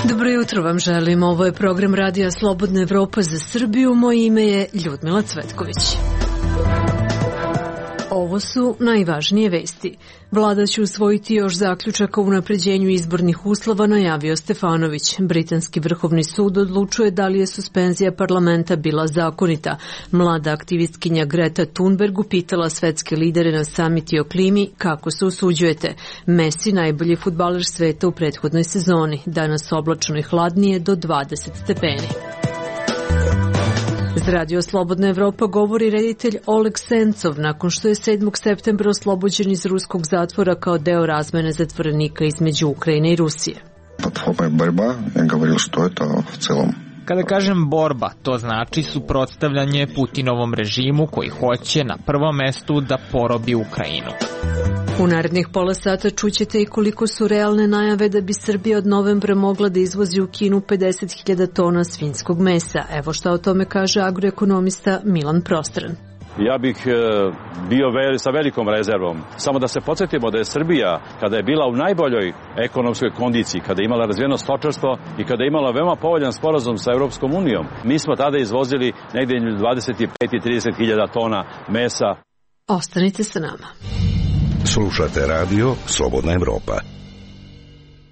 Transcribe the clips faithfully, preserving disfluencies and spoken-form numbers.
Dobro jutro vam želim. Ovo je program Radija Slobodna Evropa za Srbiju. Moje ime je Ljudmila Cvetković. Ovo su najvažnije vesti. Vlada će usvojiti još zaključaka o unapređenju izbornih uslova, najavio Stefanović. Britanski vrhovni sud odlučuje da li je suspenzija parlamenta bila zakonita. Mlada aktivistkinja Greta Thunberg upitala svetske lidere na samiti o klimi kako se usuđujete. Messi, najbolji fudbaler sveta u prethodnoj sezoni. Danas oblačno i hladnije do dvadeset stepeni. Za Radio Slobodna Evropa govori reditelj Oleg Sencov nakon što je sedmog septembra oslobođen iz ruskog zatvora kao deo razmene zatvorenika između Ukrajine i Rusije. Kada kažem borba, to znači suprotstavljanje Putinovom režimu koji hoće na prvom mestu da porobi Ukrajinu. U narednih pola sata čućete i koliko su realne najave da bi Srbija od novembra mogla da izvozi u Kinu pedeset hiljada tona svinjskog mesa. Evo šta o tome kaže agroekonomista Milan Prostran. Ja bih bio sa velikom rezervom. Samo da se podsjetimo da je Srbija, kada je bila u najboljoj ekonomskoj kondiciji, kada je imala razvijeno stočarstvo i kada je imala veoma povoljan sporazum sa Europskom unijom, mi smo tada izvozili negdje dvadeset pet i trideset hiljada tona mesa. Ostanite sa nama. Slušate radio Slobodna Evropa.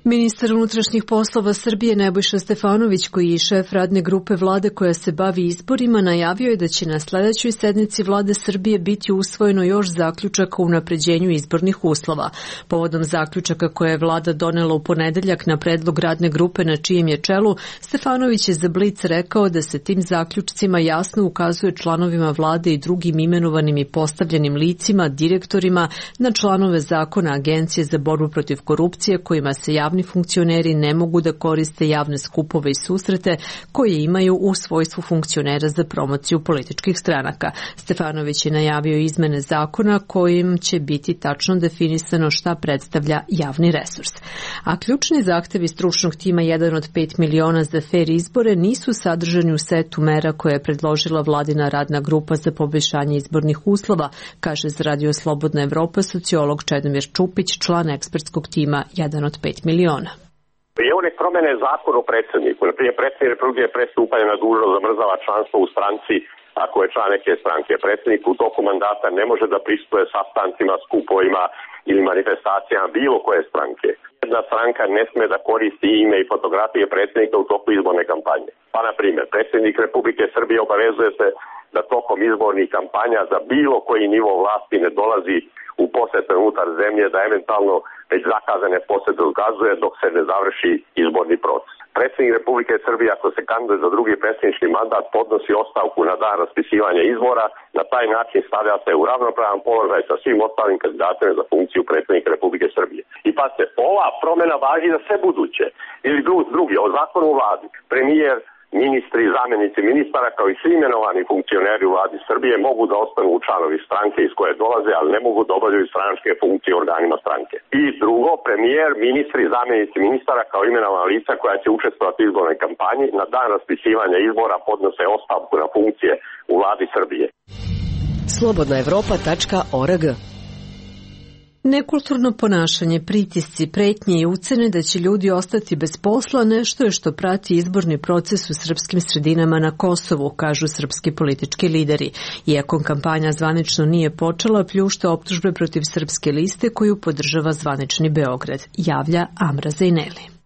Ministar unutrašnjih poslova Srbije Nebojša Stefanović, koji je šef radne grupe vlade koja se bavi izborima, najavio je da će na sledećoj sednici vlade Srbije biti usvojeno još zaključaka o unapređenju izbornih uslova. Povodom zaključaka koje je vlada donela u ponedeljak na predlog radne grupe na čijem je čelu, Stefanović je za Blic rekao da se tim zaključcima jasno ukazuje članovima vlade i drugim imenovanim i postavljenim licima, direktorima, na članove zakona Agencije za borbu protiv korupcije kojima se javni funkcioneri ne mogu da koriste javne skupove i susrete koje imaju u svojstvu funkcionera za promociju političkih stranaka. Stefanović je najavio izmene zakona kojim će biti tačno definisano šta predstavlja javni resurs. A ključni zahtevi stručnog tima jedan od pet miliona za fer izbore nisu sadržani u setu mera koje je predložila vladina radna grupa za poboljšanje izbornih uslova, kaže za Radio Slobodna Evropa sociolog Čedomir Čupić, član ekspertskog tima jedan od pet miliona. I one promene zakon o predsjedniku. Naprimjer, predsjednik Republike pre stupanja na dužnost zamrzava članstvo u stranci ako je član neke stranke. Predsjednik u toku mandata ne može da prisustvuje sastancima, skupovima ili manifestacijama bilo koje stranke. Jedna stranka ne sme da koristi ime i fotografije predsjednika u toku izborne kampanje. Pa, na primjer, predsjednik Republike Srbije obavezuje se da tokom izbornih kampanja za bilo koji nivo vlasti ne dolazi u posete unutar zemlje, da eventualno već zakazane posete odgazuje dok se ne završi izborni proces. Predsjednik Republike Srbije, ako se kandiduje za drugi predsjednički mandat, podnosi ostavku na dan raspisivanja izbora, na taj način stavlja se u ravnopravan položaj sa svim ostalim kandidatima za funkciju predsjednika Republike Srbije. I pa se ova promjena važi za sve buduće. Ili drugi, o zakonu u vladi, premijer, ministri i zamjenici ministara kao i svi imenovani funkcioneri u vladi Srbije mogu da ostanu u članovi stranke iz koje dolaze, ali ne mogu da obavljaju stranačke funkcije u organima stranke. I drugo, premijer, ministri i zamjenici ministara kao imenovana lica koja će učestvovati u izbornoj kampanji na dan raspisivanja izbora podnose ostavku na funkcije u vladi Srbije. slobodna evropa tačka org. Nekulturno ponašanje, pritisci, pretnje i ucene da će ljudi ostati bez posla nešto je što prati izborni proces u srpskim sredinama na Kosovu, kažu srpski politički lideri. Iako kampanja zvanično nije počela, pljušta optužbe protiv Srpske liste koju podržava zvanični Beograd, javlja Amra Zejneli.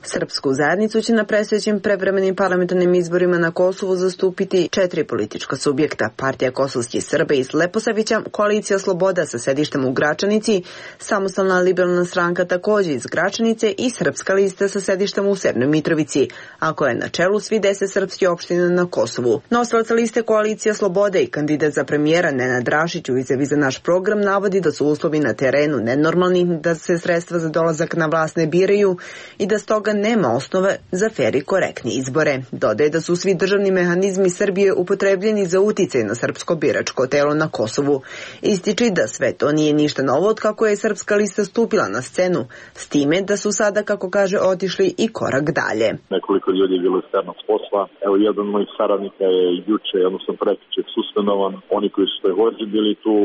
Srpsku zajednicu će na predstojećim prevremenim parlamentarnim izborima na Kosovu zastupiti četiri politička subjekta. Partija kosovskih Srba iz Leposavića, Koalicija Sloboda sa sedištem u Gračanici, Samostalna liberalna stranka također iz Gračanice i Srpska lista sa sedištem u Severnoj Mitrovici, a koja je na čelu svi deset srpskih opština na Kosovu. Nosilac liste Koalicija Slobode i kandidat za premijera Nenad Rašić u izjavi za naš program navodi da su uslovi na terenu nenormalni, da se sredstva za dolazak na vlast ne biraju i da stoga nema osnove za fer i korektni izbore. Dodaje da su svi državni mehanizmi Srbije upotrebljeni za uticaj na srpsko biračko telo na Kosovu. Ističi da sve to nije ništa novo od kako je Srpska lista stupila na scenu, s time da su sada, kako kaže, otišli i korak dalje. Nekoliko ljudi je bilo sternog posla. Evo, jedan od mojih saradnika je juče, odnosno prekjuče, suspenovan. Oni koji su također bili tu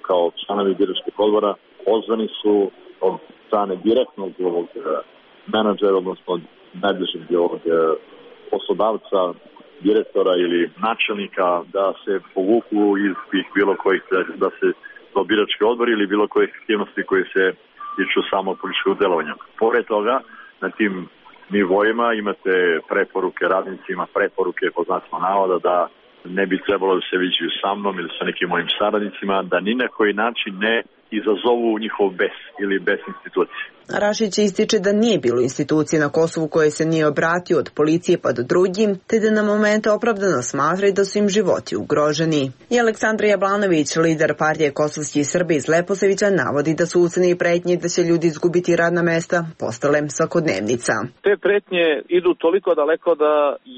kao članovi biračkih odbora, pozvani su od strane direktnog ovog menadžera, odnosno najbližeg ovog poslodavca, direktora ili načelnika, da se povuku iz tih bilo kojih, da se to birački odbor ili bilo kojih aktivnosti koje se tiču samo političkog delovanja. Pored toga, na tim nivoima imate preporuke radnicima, preporuke po znacima navoda da ne bi trebalo da se viđaju sa mnom ili sa nekim mojim saradnicima, da ni na koji način ne izazovu njihov bes ili bes institucije. Rašić ističe da nije bilo institucije na Kosovu koje se nije obratio od policije pa do drugim, te da na momente opravdano smatra da su im životi ugroženi. I Aleksandar Jablanović, lider partije Kosovskih Srba iz Leposavića, navodi da su ucene i pretnje da će ljudi izgubiti radna mesta postale svakodnevnica. Te pretnje idu toliko daleko da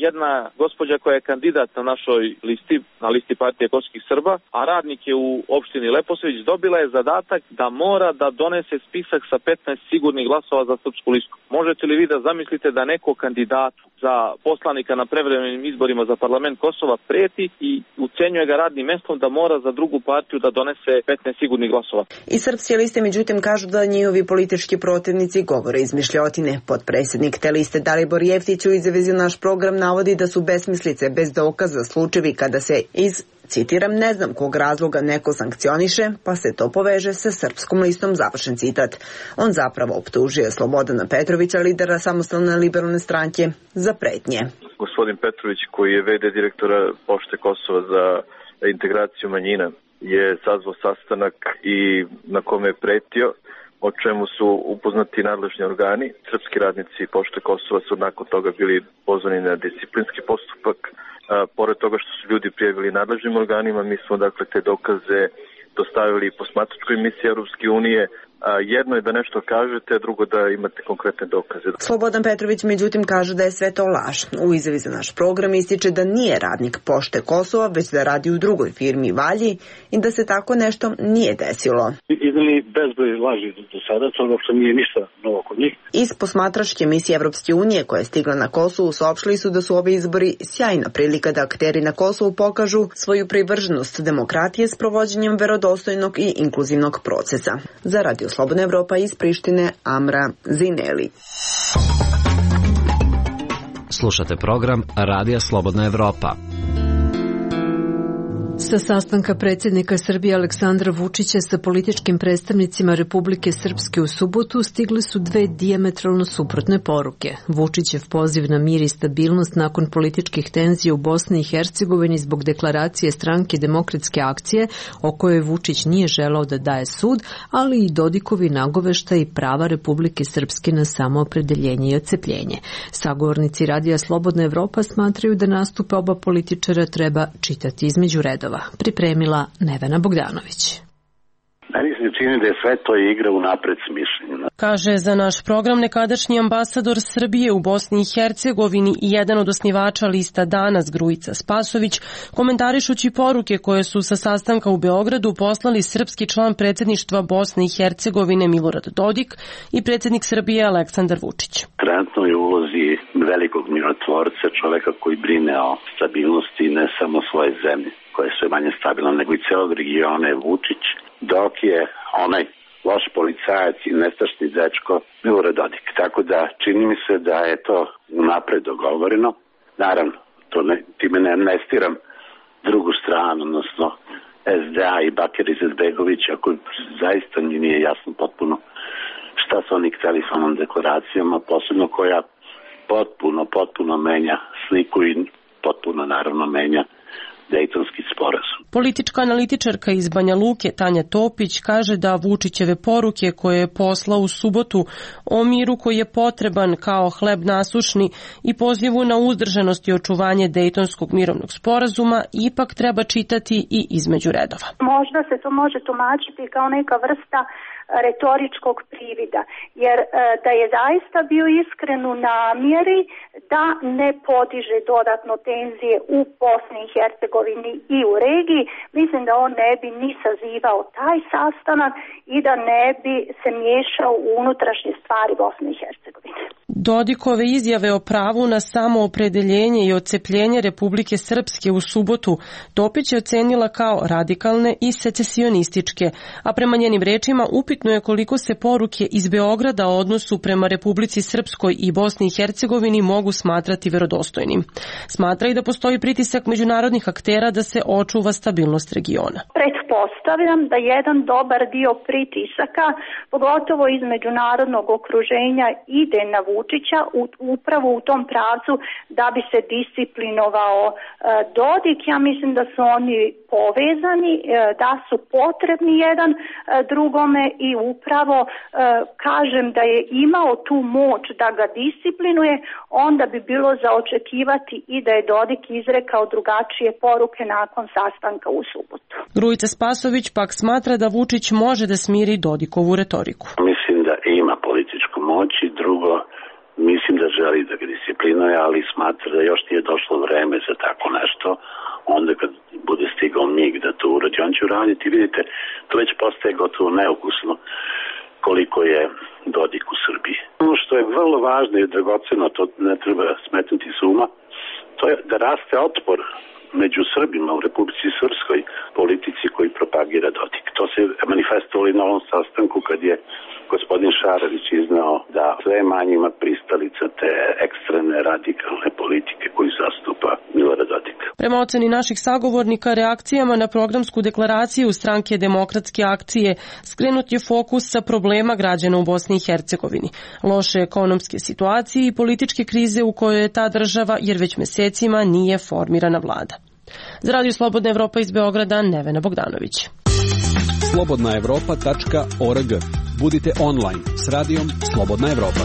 jedna gospođa koja je kandidat na našoj listi, na listi partije Kosovskih Srba, a radnik je u opštini Leposavić, dobila je zadatak da mora da donese spisak sa petnaest sigurnih glasova za srpsku listu. Možete li vi da zamislite da neko kandidatu za poslanika na prevremenim izborima za parlament Kosova preti i ucenjuje ga radnim mestom da mora za drugu partiju da donese petnaest sigurnih glasova? I srpske liste međutim kažu da njihovi politički protivnici govore izmišljotine. Potpredsjednik te liste Dalibor Jeftić u izjavi za naš program navodi da su besmislice bez dokaza slučajevi kada se iz, citiram, ne znam kog razloga neko sankcioniše, pa se to poveže sa srpskom listom, završen citat. On zapravo optužuje Slobodana Petrovića, lidera Samostalne liberalne stranke, za pretnje. Gospodin Petrović, koji je ve de direktora Pošte Kosova za integraciju manjina, je sazvao sastanak i na kome je pretio, o čemu su upoznati nadležni organi. Srpski radnici Pošte Kosova su nakon toga bili pozvani na disciplinski postupak. A, pored toga što su ljudi prijavili nadležnim organima, mi smo dakle te dokaze dostavili posmatračkoj misiji Europske unije. A, jedno je da nešto kažete, a drugo da imate konkretne dokaze. Slobodan Petrović međutim kaže da je sve to laž. U izjavi za naš program ističe da nije radnik Pošte Kosova, već da radi u drugoj firmi Valji i da se tako nešto nije desilo. Izneli bezbroj laži do sada, to uopšte nije ništa novo kod njih. Iz posmatračke misije Evropske unije koja je stigla na Kosovu saopštili su da su ovi izbori sjajna prilika da akteri na Kosovu pokažu svoju privrženost demokratije s provođenjem verodostojnog i inkluzivnog procesa. Za Radio Slobodna Evropa iz Prištine, Amra Zineli. Slušate program Radija Slobodna Evropa. Sa sastanka predsjednika Srbije Aleksandra Vučića sa političkim predstavnicima Republike Srpske u subotu stigle su dve dijametralno suprotne poruke. Vučićev poziv na mir i stabilnost nakon političkih tenzija u Bosni i Hercegovini zbog deklaracije stranke Demokratske akcije, o kojoj Vučić nije želao da daje sud, ali i Dodikovi nagoveštaj i prava Republike Srpske na samoopredeljenje i odcepljenje. Sagovornici Radija Slobodna Evropa smatraju da nastupe oba političara treba čitati između redova. Pripremila Nevena Bogdanović. Meni se čini da je sve to igra unapred smišljena. Kaže za naš program nekadašnji ambasador Srbije u Bosni i Hercegovini i jedan od osnivača lista Danas Grujica Spasović, komentarišući poruke koje su sa sastanka u Beogradu poslali srpski član predsjedništva Bosne i Hercegovine Milorad Dodik i predsjednik Srbije Aleksandar Vučić. Trenutno je u ulozi velikog mirotvorca, čoveka koji brine o stabilnosti ne samo svoje zemlje, koja je sve manje stabilna, nego i celog regiona je Vučić, dok je onaj loš policajac i nestašni dečko Milorad Dodik. Tako da čini mi se da je to unapred dogovoreno. Naravno, to ne, time ne amnestiram drugu stranu, odnosno es de a i Bakir Izetbegović, ako zaista mi nije jasno potpuno šta su oni hteli s onom deklaracijama, posebno koja potpuno, potpuno menja sliku i potpuno naravno menja Dejtonski sporazum. Politička analitičarka iz Banja Luke Tanja Topić kaže da Vučićeve poruke koje je poslao u subotu o miru koji je potreban kao hleb nasušni i pozivu na uzdržanost i očuvanje Dejtonskog mirovnog sporazuma ipak treba čitati i između redova. Možda se to može tumačiti kao neka vrsta retoričkog privida, jer da je zaista bio iskren u namjeri da ne podiže dodatno tenzije u Bosni i Hercegovini i u regiji, mislim da on ne bi ni sazivao taj sastanak i da ne bi se miješao u unutrašnje stvari Bosne i Hercegovine. Dodikove izjave o pravu na samoopredeljenje i odcepljenje Republike Srpske u subotu Topić je ocenila kao radikalne i secesionističke, a prema njenim rečima upitno je koliko se poruke iz Beograda o odnosu prema Republici Srpskoj i Bosni i Hercegovini mogu smatrati verodostojnim. Smatra i da postoji pritisak međunarodnih aktera da se očuva stabilnost regiona. Pretpostavljam da jedan dobar dio pritisaka, pogotovo iz međunarodnog okruženja, ide na Vučića upravo u tom pravcu da bi se disciplinovao Dodik. Ja mislim da su oni povezani, da su potrebni jedan drugome i upravo kažem da je imao tu moć da ga disciplinuje, onda bi bilo za očekivati i da je Dodik izrekao drugačije poruke nakon sastanka u subotu. Grujica Spasović pak smatra da Vučić može da smiri Dodikovu retoriku. Mislim da ima političku moć i drugo, mislim da želi da ga disciplinuje, ali smatra da još nije došlo vreme za tako nešto. Onda kad bude stigao mig da to uradi, on će uraditi. Vidite, to već postaje gotovo neukusno koliko je Dodik u Srbiji. Ono što je vrlo važno i dragoceno, to ne treba smetnuti s uma, to je da raste otpor među Srbima u Republici Srpskoj politici koji propagira Dodik. To se manifestovalo i na ovom sastanku kad je gospodin Šarović iznao da sve manje ima pristalica te ekstremne radikalne politike koju zastupa Milorad Dodik. Prema oceni naših sagovornika, reakcijama na programsku deklaraciju Stranke demokratske akcije skrenut je fokus sa problema građana u Bosni i Hercegovini, loše ekonomske situacije i političke krize u kojoj je ta država jer već mesecima nije formirana vlada. Za Radio Slobodna Evropa iz Beograda, Nevena Bogdanović. slobodna evropa tačka org. Budite online s radijom Slobodna Evropa.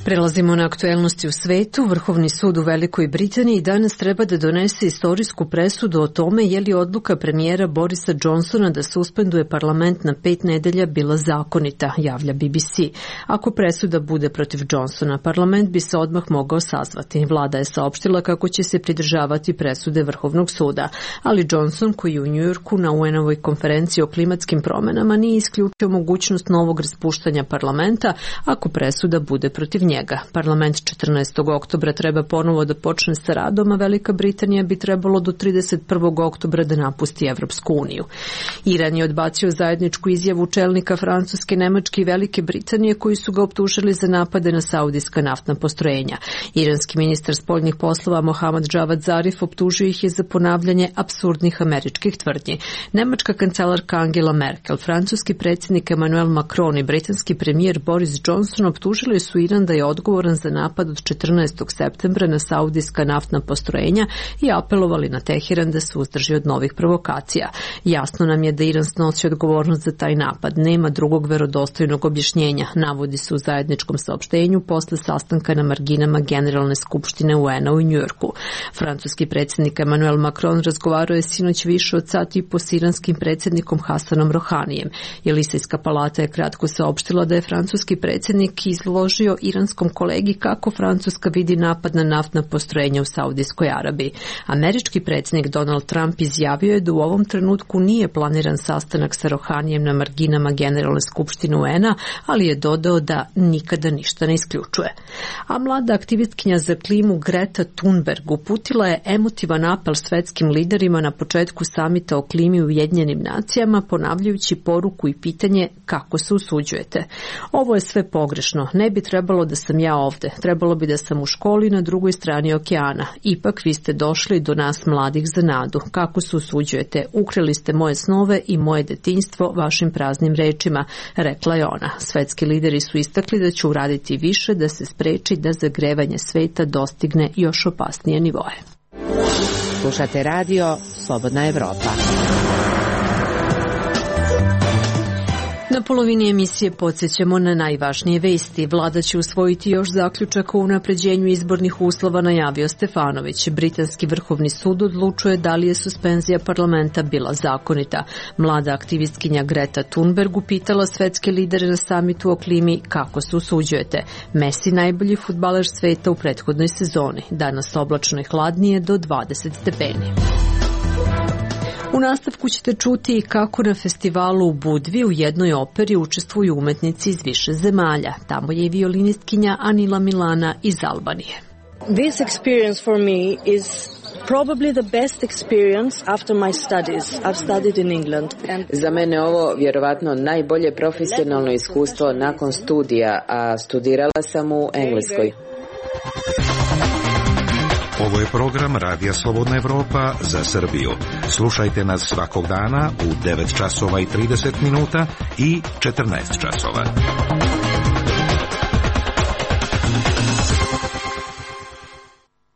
Prelazimo na aktuelnosti u svetu. Vrhovni sud u Velikoj Britaniji danas treba da donese istorijsku presudu o tome je li odluka premijera Borisa Johnsona da suspenduje parlament na pet nedelja bila zakonita, javlja B B C. Ako presuda bude protiv Johnsona, parlament bi se odmah mogao sazvati. Vlada je saopštila kako će se pridržavati presude Vrhovnog suda, ali Johnson, koji je u Njujorku na U N-ovoj konferenciji o klimatskim promenama, nije isključio mogućnost novog raspuštanja parlamenta ako presuda bude protiv njega. Parlament četrnaestog oktobra treba ponovo da počne sa radom, a Velika Britanija bi trebalo do trideset prvog oktobra da napusti Evropsku uniju. Iran je odbacio zajedničku izjavu čelnika Francuske, Nemačke i Velike Britanije koji su ga optužili za napade na saudijska naftna postrojenja. Iranski ministar spoljnih poslova Mohammad Javad Zarif optužio ih je za ponavljanje apsurdnih američkih tvrdnji. Nemačka kancelarka Angela Merkel, francuski predsjednik Emmanuel Macron i britanski premijer Boris Johnson optužili su Iran da je odgovoran za napad od četrnaestog septembra na saudijska naftna postrojenja i apelovali na Teheran da se uzdrži od novih provokacija. Jasno nam je da Iran snosi odgovornost za taj napad. Nema drugog verodostojnog objašnjenja, navodi se u zajedničkom saopštenju posle sastanka na marginama Generalne skupštine U N-a u Njujorku. Francuski predsjednik Emmanuel Macron razgovarao je sinoć više od sat i po s iranskim predsjednikom Hasanom Rohanijem. Jelisejska palata je kratko saopštila da je francuski predsjednik izložio iranskom kolegi kako Francuska vidi napad na naftna postrojenja u Saudijskoj Arabiji. Američki predsjednik Donald Trump izjavio je da u ovom trenutku nije planiran sastanak sa Rohanijem na marginama Generalne skupštine U N-a, ali je dodao da nikada ništa ne isključuje. A mlada aktivistkinja za klimu Greta Thunberg uputila je emotivan apel svetskim liderima na početku samita o klimi u Ujedinjenim nacijama, ponavljajući poruku i pitanje kako se usuđujete. Ovo je sve pogrešno, ne bi trebalo da sam ja ovde, trebalo bi da sam u školi na drugoj strani okeana. Ipak vi ste došli do nas mladih za nadu. Kako se usuđujete? Ukrali ste moje snove i moje detinjstvo vašim praznim rečima, rekla je ona. Svetski lideri su istakli da će uraditi više da se spreči da zagrevanje sveta dostigne još opasnije nivoe. Slušate radio Slobodna Evropa. Na polovini emisije podsjećamo na najvažnije vesti. Vlada će usvojiti još zaključak o unapređenju izbornih uslova, najavio Stefanović. Britanski vrhovni sud odlučuje da li je suspenzija parlamenta bila zakonita. Mlada aktivistkinja Greta Thunberg upitala svetske lidere na samitu o klimi kako se usuđujete. Messi najbolji fudbaler sveta u prethodnoj sezoni. Danas oblačno i hladnije do dvadeset stepeni. U nastavku ćete čuti kako na festivalu u Budvi u jednoj operi učestvuju umetnici iz više zemalja. Tamo je i violinistkinja Anila Milana iz Albanije. This experience for me is probably the best experience after my studies. I've studied in England. And Za mene ovo vjerovatno najbolje profesionalno iskustvo nakon studija, a studirala sam u Engleskoj. Ovo je program Radija Slobodna Evropa za Srbiju. Slušajte nas svakog dana u devet časova i trideset minuta i četrnaest časova.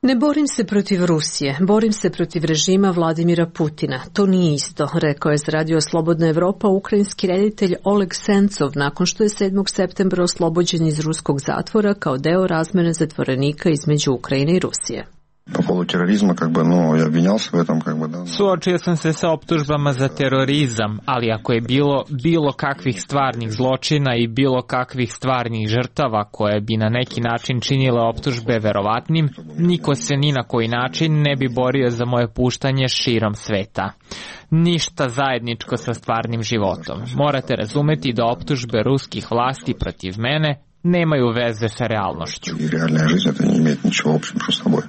Ne borim se protiv Rusije, borim se protiv režima Vladimira Putina. To nije isto, rekao je za Radio Slobodna Evropa ukrajinski reditelj Oleg Sencov nakon što je sedmog septembra oslobođen iz ruskog zatvora kao deo razmene zatvorenika između Ukrajine i Rusije. По поводу терроризма, как бы, ну, я обвинялся в этом, как бы, да. Suočio sam se sa optužbama za terorizam, ali ako je bilo bilo kakvih stvarnih zločina i bilo kakvih stvarnih žrtava koje bi na neki način činile optužbe verovatnim, niko se ni na koji način ne bi borio za moje puštanje širom sveta. Ništa zajedničko sa stvarnim životom. Morate razumeti da optužbe ruskih vlasti protiv mene nemaju veze sa realnošću. И реальная жизнь это не имеет ничего общего с собой.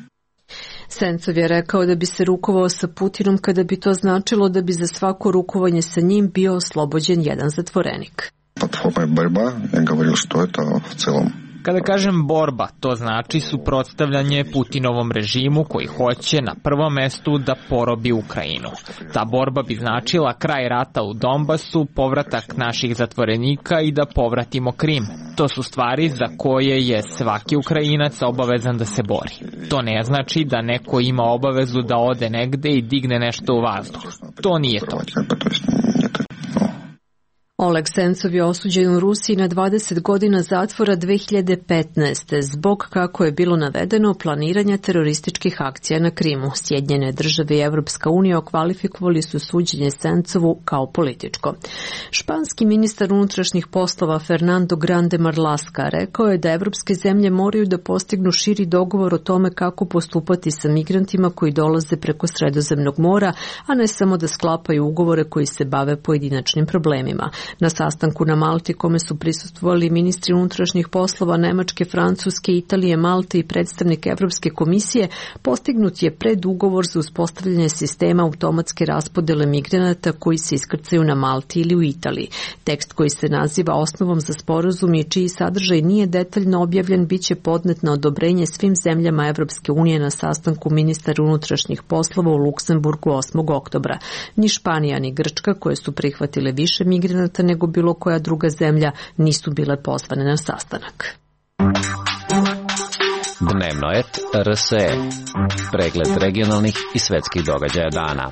Sencov je rekao da bi se rukovao sa Putinom kada bi to značilo da bi za svako rukovanje sa njim bio oslobođen jedan zatvorenik. Под формой борьба я говорил, что это в целом. Kada kažem borba, to znači suprotstavljanje Putinovom režimu koji hoće na prvom mestu da porobi Ukrajinu. Ta borba bi značila kraj rata u Donbasu, povratak naših zatvorenika i da povratimo Krim. To su stvari za koje je svaki Ukrajinac obavezan da se bori. To ne znači da neko ima obavezu da ode negde i digne nešto u vazduh. To nije to. Oleg Sencov je osuđen u Rusiji na dvadeset godina zatvora dve hiljade petnaeste zbog, kako je bilo navedeno, planiranja terorističkih akcija na Krimu. Sjedinjene države i Evropska unija okvalifikovali su suđenje Sencovu kao političko. Španski ministar unutrašnjih poslova Fernando Grande Marlaska rekao je da evropske zemlje moraju da postignu širi dogovor o tome kako postupati sa migrantima koji dolaze preko Sredozemnog mora, a ne samo da sklapaju ugovore koji se bave pojedinačnim problemima. Na sastanku na Malti kome su prisustvovali ministri unutrašnjih poslova Nemačke, Francuske, Italije, Malte i predstavnik Evropske komisije, postignut je predugovor za uspostavljanje sistema automatske raspodele migranata koji se iskrcaju na Malti ili u Italiji. Tekst koji se naziva osnovom za sporazum i čiji sadržaj nije detaljno objavljen biće podnet na odobrenje svim zemljama Evropske unije na sastanku ministara unutrašnjih poslova u Luksemburgu osmog oktobra. Ni Španija ni Grčka, koje su prihvatile više migranata nego bilo koja druga zemlja, nisu bile pozvane na sastanak. Dnevno et R S E. Pregled regionalnih i svetskih događaja dana.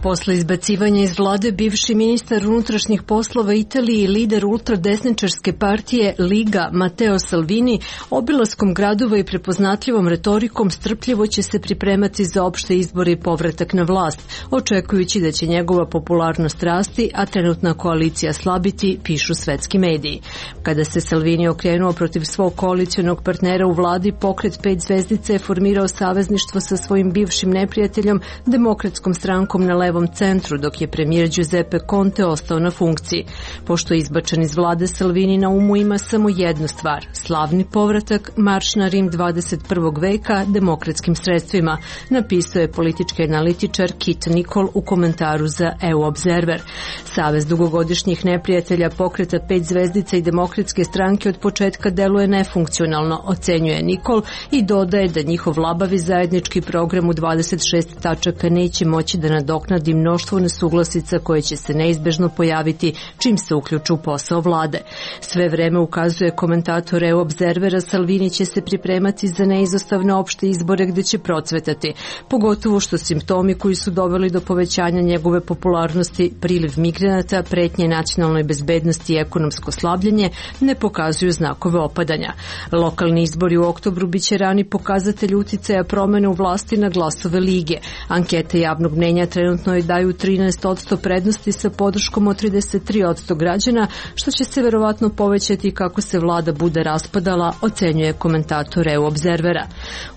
Posle izbacivanja iz vlade bivši ministar unutrašnjih poslova Italije i lider ultradesničarske partije Liga Matteo Salvini obilaskom gradova i prepoznatljivom retorikom strpljivo će se pripremati za opšte izbore i povratak na vlast, očekujući da će njegova popularnost rasti, a trenutna koalicija slabiti, pišu svetski mediji. Kada se Salvini okrenuo protiv svog koalicionog partnera u vladi, pokret pet zvezdica je formirao savezništvo sa svojim bivšim neprijateljom, Demokratskom strankom na levom centru, dok je premijer Giuseppe Conte ostao na funkciji. Pošto je izbačen iz vlade, Salvini na umu ima samo jednu stvar, slavni povratak, marš na Rim dvadeset prvog veka demokratskim sredstvima, napisao je politički analitičar Kit Nicol u komentaru za E U Observer. Savez dugogodišnjih neprijatelja pokreta pet zvezdica i demokratske stranke od početka deluje nefunkcionalno, ocenjuje Nicol i dodaje da njihov labavi zajednički program u dvadeset šest tačaka neće moći da nadoknadi iznenadi mnoštvo nesuglasica koje će se neizbežno pojaviti čim se uključu u posao vlade. Sve vreme ukazuje komentator E U Obzervera, Salvini će se pripremati za neizostavne opšte izbore gde će procvetati, pogotovo što simptomi koji su doveli do povećanja njegove popularnosti, priliv migranata, pretnje nacionalnoj bezbednosti i ekonomsko slabljenje, ne pokazuju znakove opadanja. Lokalni izbori u oktobru biće rani pokazatelj uticaja promene u vlasti na glasove Lige. Ankete javnog mnenja trenutno joj daju trinaest posto prednosti sa podrškom od trideset tri posto građana, što će se verovatno povećati kako se vlada bude raspadala, ocenjuje komentator E U Obzervera.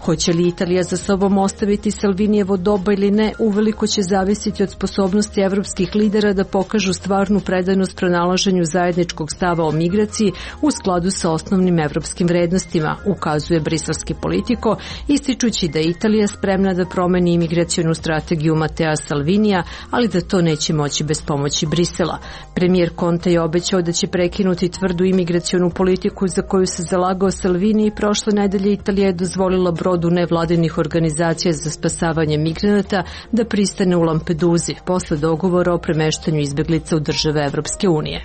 Hoće li Italija za sobom ostaviti Salvinijevo doba ili ne, uveliko će zavisiti od sposobnosti evropskih lidera da pokažu stvarnu predanost pronalaženju zajedničkog stava o migraciji u skladu sa osnovnim evropskim vrednostima, ukazuje briselski Politico, ističući da je Italija spremna da promeni imigracionu strategiju Matea Salvinija, ali da to neće moći bez pomoći Brisela. Premijer Conte je obećao da će prekinuti tvrdu imigracionu politiku za koju se zalagao Salvini i prošle nedelje Italija je dozvolila brodu nevladinih organizacija za spasavanje migranata da pristane u Lampeduzi posle dogovora o premeštanju izbeglica u države Evropske unije.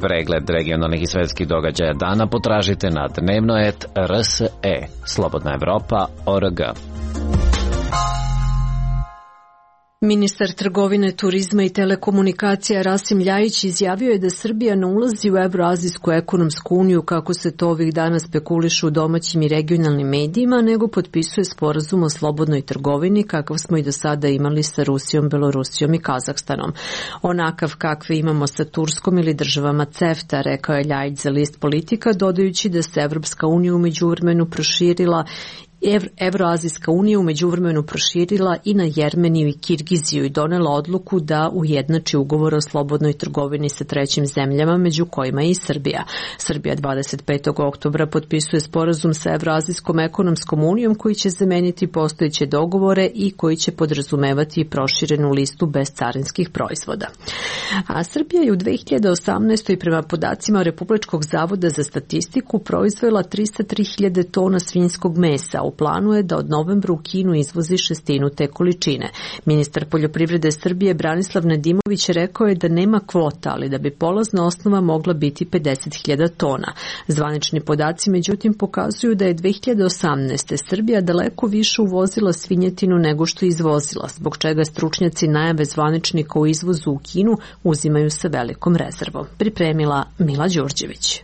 Pregled regionalnih i svetskih događaja dana potražite na dnevnoet R S E, Slobodna Evropa, O R G. Ministar trgovine, turizma i telekomunikacija Rasim Ljajić izjavio je da Srbija ne ulazi u Evroazijsku ekonomsku uniju, kako se to ovih dana spekuliše u domaćim i regionalnim medijima, nego potpisuje sporazum o slobodnoj trgovini kakav smo i do sada imali sa Rusijom, Belorusijom i Kazahstanom. Onakav kakve imamo sa Turskom ili državama CEFTA, rekao je Ljajić za list Politika, dodajući da se Evropska unija u međuvremenu proširila Evroazijska unija u međuvremenu proširila i na Jermeniju i Kirgiziju i donela odluku da ujednači ugovor o slobodnoj trgovini sa trećim zemljama, među kojima je i Srbija. Srbija dvadeset petog oktobra potpisuje sporazum sa Evroazijskom ekonomskom unijom koji će zameniti postojeće dogovore i koji će podrazumevati proširenu listu bezcarinskih proizvoda. A Srbija je u dve hiljade osamnaestoj prema podacima Republičkog zavoda za statistiku proizvela trista tri hiljade tona svinjskog mesa. U planu je da od novembra u Kinu izvozi šestinu te količine. Ministar poljoprivrede Srbije Branislav Nedimović rekao je da nema kvota, ali da bi polazna osnova mogla biti pedeset hiljada tona. Zvanični podaci međutim pokazuju da je dve hiljade osamnaeste. Srbija daleko više uvozila svinjetinu nego što izvozila, zbog čega stručnjaci najave zvaničnika u izvozu u Kinu uzimaju sa velikom rezervom. Pripremila Mila Đurđević.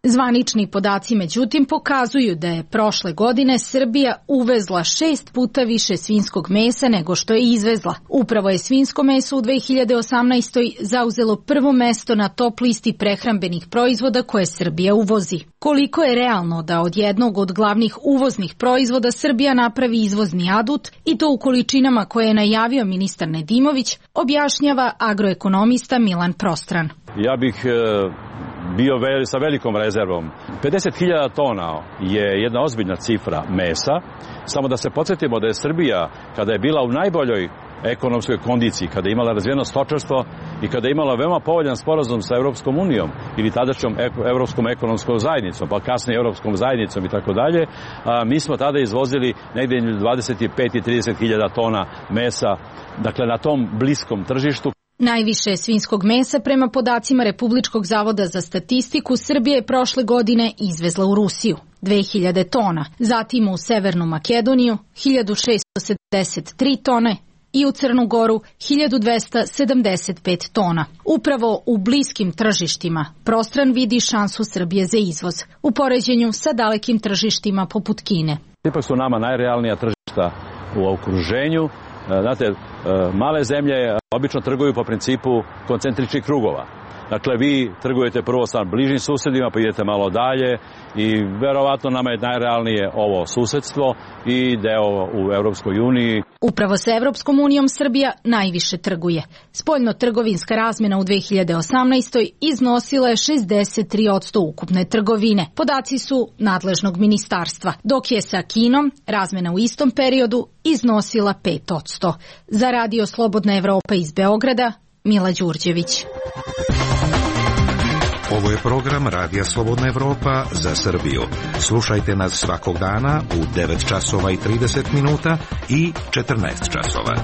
Zvanični podaci međutim pokazuju da je prošle godine Srbija uvezla šest puta više svinjskog mesa nego što je izvezla. Upravo je svinjsko meso u dve hiljade osamnaestoj zauzelo prvo mesto na top listi prehrambenih proizvoda koje Srbija uvozi. Koliko je realno da od jednog od glavnih uvoznih proizvoda Srbija napravi izvozni adut i to u količinama koje je najavio ministar Nedimović, objašnjava agroekonomista Milan Prostran. Ja bih bio sa velikom rezervom. pedeset hiljada tona je jedna ozbiljna cifra mesa. Samo da se podsjetimo da je Srbija, kada je bila u najboljoj ekonomskoj kondiciji, kada je imala razvijeno stočarstvo i kada je imala veoma povoljan sporazum sa Evropskom unijom ili tadašnjom Evropskom ekonomskom zajednicom, pa kasnije Evropskom zajednicom i tako dalje, mi smo tada izvozili negdje dvadeset pet i trideset hiljada tona mesa, dakle na tom bliskom tržištu. Najviše svinjskog mesa prema podacima Republičkog zavoda za statistiku Srbija je prošle godine izvezla u Rusiju, dve hiljade tona, zatim u Severnu Makedoniju hiljadu šessto sedamdeset tri tone i u Crnu Goru hiljadu dvesta sedamdeset pet tona. Upravo u bliskim tržištima Prostran vidi šansu Srbije za izvoz, u poređenju sa dalekim tržištima poput Kine. Ipak su nama najrealnija tržišta u okruženju. Znate, male zemlje obično trguju po principu koncentričnih krugova. Dakle, vi trgujete prvo sa bližim susedima, pa idete malo dalje i verovatno nama je najrealnije ovo susedstvo i deo u Evropskoj uniji. Upravo sa Evropskom unijom Srbija najviše trguje. Spoljno-trgovinska razmena u dve hiljade osamnaestoj iznosila je šezdeset tri posto ukupne trgovine. Podaci su nadležnog ministarstva, dok je sa Kinom razmena u istom periodu iznosila pet posto. Za Radio Slobodna Evropa iz Beograda, Mila Đurđević. Ovo je program Radija Slobodna Evropa za Srbiju. Slušajte nas svakog dana u devet časova i trideset minuta i četrnaest časova.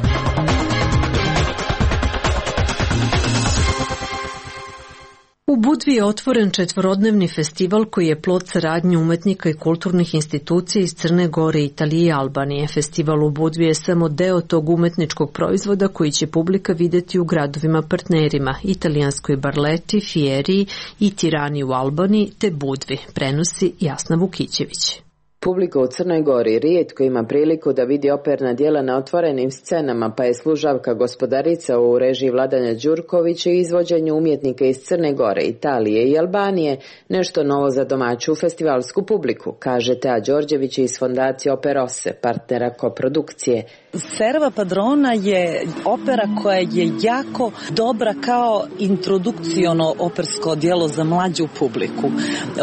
U Budvi je otvoren četvorodnevni festival koji je plod saradnje umetnika i kulturnih institucija iz Crne Gore, Italije i Albanije. Festival u Budvi je samo deo tog umetničkog proizvoda koji će publika videti u gradovima partnerima, italijanskoj Barleti, Fieri i Tirani u Albaniji te Budvi, prenosi Jasna Vukićević. Publika u Crnoj Gori rijetko ima priliku da vidi operna djela na otvorenim scenama, pa je Služavka gospodarica u režiji Vladanja Đurkovića i izvođenju umjetnika iz Crne Gore, Italije i Albanije nešto novo za domaću festivalsku publiku, kaže Tea Đorđević iz fondacije Operose, partnera koprodukcije. Serva Padrona je opera koja je jako dobra kao introdukciono opersko djelo za mlađu publiku.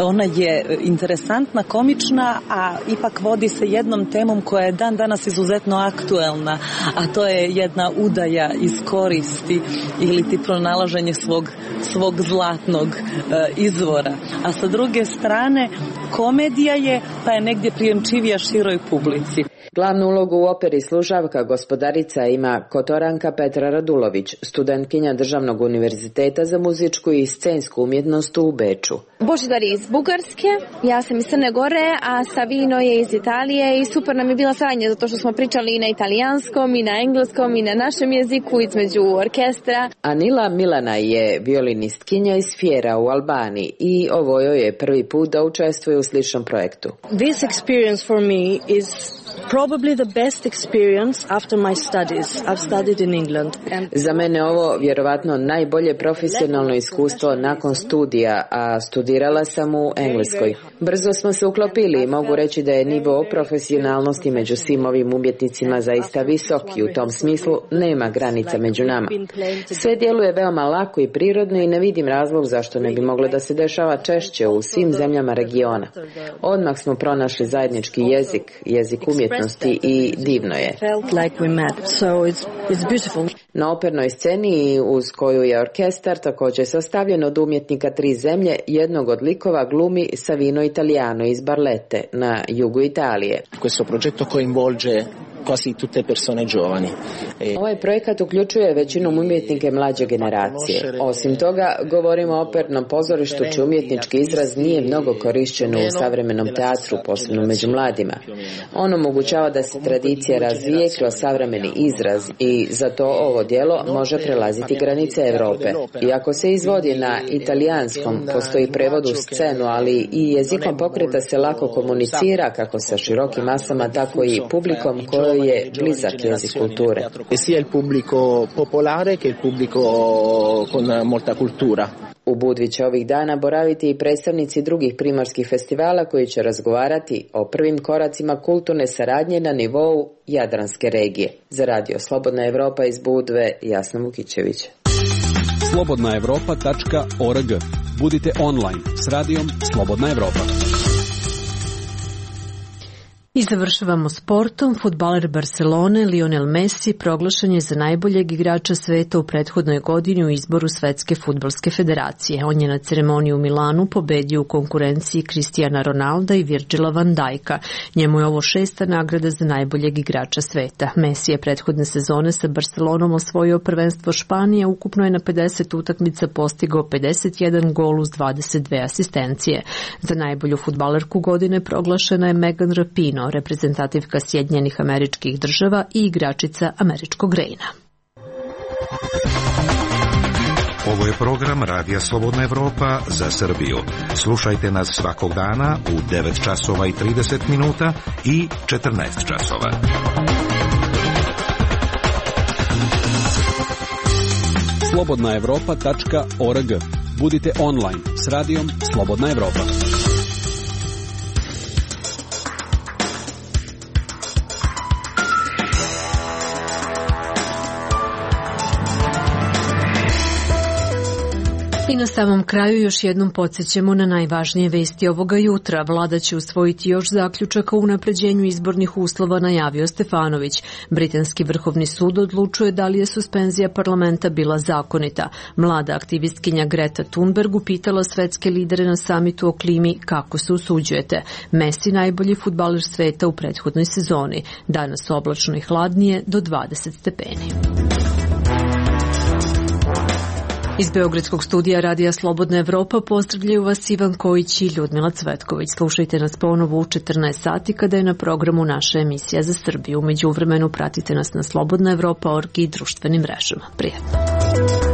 Ona je interesantna, komična, a ipak vodi se jednom temom koja je dan danas izuzetno aktuelna, a to je jedna udaja iz koristi ili ti pronalaženje svog, svog zlatnog e, izvora. A sa druge strane, komedija je, pa je negdje prijemčivija široj publici. Glavnu ulogu u operi Služavka gospodarica ima Kotoranka Petra Radulović, studentkinja Državnog univerziteta za muzičku i scensku umjetnost u Beču. Božidar je iz Bugarske, ja sam iz Crne Gore, a Savino je iz Italije i super nam je bila saradnja zato što smo pričali i na italijanskom, i na engleskom, i na našem jeziku između orkestra. Anila Milana je violinistkinja iz Fiera u Albaniji i ovo joj je prvi put da učestvuje u sličnom projektu. This experience for me is probably the best experience after my studies. I've studied in England. And... Za mene ovo vjerovatno najbolje profesionalno iskustvo nakon studija, a studirala sam u Engleskoj. Brzo smo se uklopili i mogu reći da je nivo profesionalnosti među svim ovim umjetnicima zaista visok i u tom smislu nema granica među nama. Sve djeluje veoma lako i prirodno i ne vidim razlog zašto ne bi moglo da se dešava češće u svim zemljama regiona. Odmah smo pronašli zajednički jezik, jezik umjetnosti i divno je. Na opernoj sceni uz koju je orkestar također sastavljen od umjetnika tri zemlje, jednog od likova glumi Savino Italiano iz Barlette na jugu Italije. Questo progetto coinvolge quasi tutte persone giovani. Ovaj projekat uključuje većinom umjetnike mlađe generacije. Osim toga, govorimo o opernom pozorištu čiji umjetnički izraz nije mnogo korišćen u savremenom teatru, posebno među mladima. On omogućava da se tradicija razvije kroz savremeni izraz i zato ovo djelo može prelaziti granice Europe. Iako se izvodi na italijanskom, postoji prevod u scenu, ali i jezikom pokreta se lako komunicira kako sa širokim masama, tako i publikom kojoj je blizak jezik kulture. Sia il pubblico popolare che il pubblico con molta cultura. U Budvi će ovih dana boraviti i predstavnici drugih primorskih festivala koji će razgovarati o prvim koracima kulturne saradnje na nivou Jadranske regije. Za Radio Slobodna Evropa iz Budve, Jasna Vukićević. slobodna evropa tačka org. Budite online s radijom Slobodna Evropa. I završavamo sportom. Fudbaler Barcelone Lionel Messi proglašen je za najboljeg igrača sveta u prethodnoj godini u izboru Svetske fudbalske federacije. On je na ceremoniji u Milanu pobedio u konkurenciji Cristiana Ronalda i Virgila van Dijka. Njemu je ovo šesta nagrada za najboljeg igrača sveta. Messi je prethodne sezone sa Barcelonom osvojio prvenstvo Španije, ukupno je na pedeset utakmica postigao pedeset jedan gol uz dvadeset dve asistencije. Za najbolju fudbalerku godine proglašena je Megan Rapinoe, reprezentativka Sjedinjenih Američkih Država i igračica američkog Rejna. Ovo je program Radija Slobodna Evropa za Srbiju. Slušajte nas svakog dana u devet časova i trideset minuta i četrnaest časova. slobodna evropa tačka org. Budite online s radijom Slobodna Evropa. I na samom kraju još jednom podsjećamo na najvažnije vesti ovoga jutra. Vlada će usvojiti još zaključaka o unapređenju izbornih uslova, najavio Stefanović. Britanski vrhovni sud odlučuje da li je suspenzija parlamenta bila zakonita. Mlada aktivistkinja Greta Thunberg upitala svetske lidere na samitu o klimi kako se usuđujete. Messi najbolji fudbaler sveta u prethodnoj sezoni. Danas oblačno i hladnije do dvadeset stepeni. Iz Beogradskog studija Radija Slobodna Evropa pozdravljaju vas Ivan Kojić i Ljudmila Cvetković. Slušajte nas ponovo u četrnaest sati kada je na programu naša emisija za Srbiju. U međuvremenu pratite nas na slobodna evropa tačka org i društvenim mrežama. Prijetno.